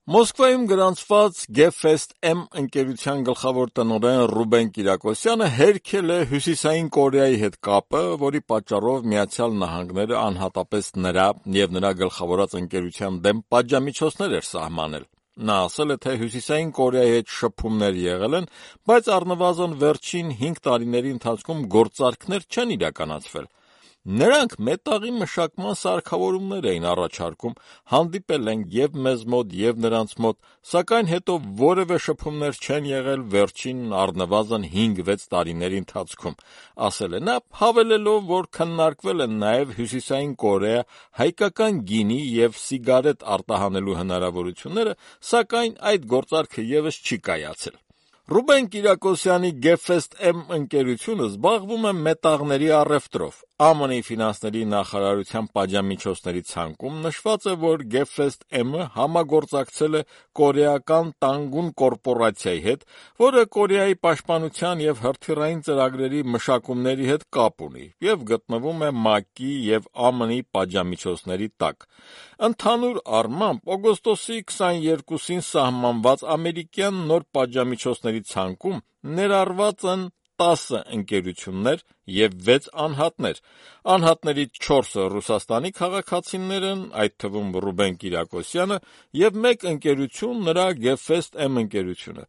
Մոսկվայում գրանցված Gfest M ընկերության գլխավոր տնօրեն Ռուբեն Կիրակոսյանը հերքել է Հյուսիսային Կորեայի հետ կապը, որի պատճառով Միացյալ Նահանգները անհատապես նրա եւ նրա գլխավորած ընկերության դեմ պատժամիջոցներ էր սահմանել։ Նա ասել է, թե Հյուսիսային Կորեայի հետ շփումներ եղել են, բայց առնվազն վերջին 5 տարիների ընթացքում գործարքներ չեն իրականացվել։ Նրանք մետաղի մշակման սարքավորումներ էին առաջարկում, հանդիպել են եւ մեզ մոտ եւ նրանց մոտ, սակայն հետո որևէ շփումներ չեն եղել վերջին առնվազն 5-6 տարիների ընթացքում, ասել է նա, հավելելով, որ քննարկվել են նաեւ Հյուսիսային Կորեա հայկական գինի եւ սիգարետ արտահանելու հնարավորությունները, սակայն այդ գործարքը եւս չի կայացել։ Ռուբեն Կիրակոսյանի Gfest M ընկերությունը զբաղվում է մետաղների առևտրով։ ԱՄՆ-ի ֆինանսների նախարարության պատժամիջոցների ցանկում նշված է, որ Gfest M-ը համագործակցել է կորեական Տանգուն կորպորացիայի հետ, որը Կորեայի պաշտպանության եւ հրթիռային ծրագրերի մշակումների հետ կապ ունի եւ գտնվում է ՄԱԿ-ի եւ ԱՄՆ-ի պատժամիջոցների տակ։ Ընդհանուր առմամբ օգոստոսի 22-ին սահմանված ամերիկյան նոր պատժամիջոցների ցանկում ներառված են 10 ընկերություններ եւ 6 անհատներ։ Անհատներից 4-ը Ռուսաստանի քաղաքացիներ են, այդ թվում Ռուբեն Կիրակոսյանը, եւ 1 ընկերություն նրա Gfest M ընկերությունը։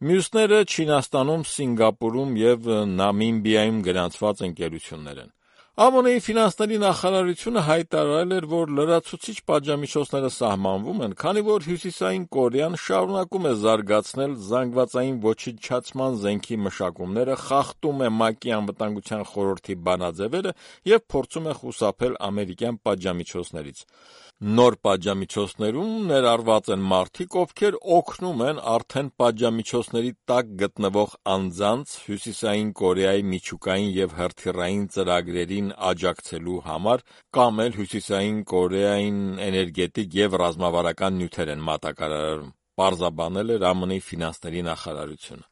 Մյուսները Չինաստանում, Սինգապուրում եւ Նամիբիայում գրանցված ընկերություններ են։ ԱՄՆ-ի ֆինանսների նախարարությունը հայտարարել էր, որ լրացուցիչ պատժամիջոցները սահմանվում են, քանի որ Հյուսիսային Կորեան շարունակում է զարգացնել զանգվածային ոչնչացման զենքի մշակումները, խախտում է ՄԱԿ-ի անվտանգության խորհրդի բանաձևերը եւ փորձում է խուսափել ամերիկյան պատժամիջոցներից։ Նոր պատժամիջոցներում ներառված են մարդիկ, ովքեր օգնում են արդեն պատժամիջոցների տակ գտնվող անձանց Հյուսիսային Կորեայի միջուկային եւ հրթիռային ծրագրերին աջակցելու համար, կամ էլ Հյուսիսային Կորեային էներգետիկ եւ ռազմավարական նյութեր են մատակարարում, պարզաբանել էր ԱՄՆ-ի ֆինանսների նախարարությունը։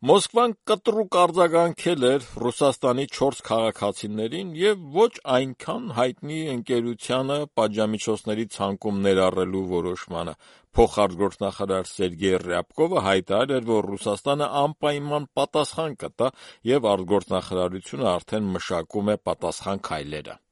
Մոսկվան կտրուկ արձագանքել էր Ռուսաստանի 4 քաղաքացիներին եւ ոչ այնքան հայտնի ընկերությանը պատժամիջոցների ցանկում ներառելու որոշմանը։ Փոխարտգործնախարար Սերգեյ Ռյաբկովը հայտարարել էր, որ Ռուսաստանը անպայման պատասխան կտա եւ արտգործնախարարությունը արդեն մշակում է պատասխան քայլերը։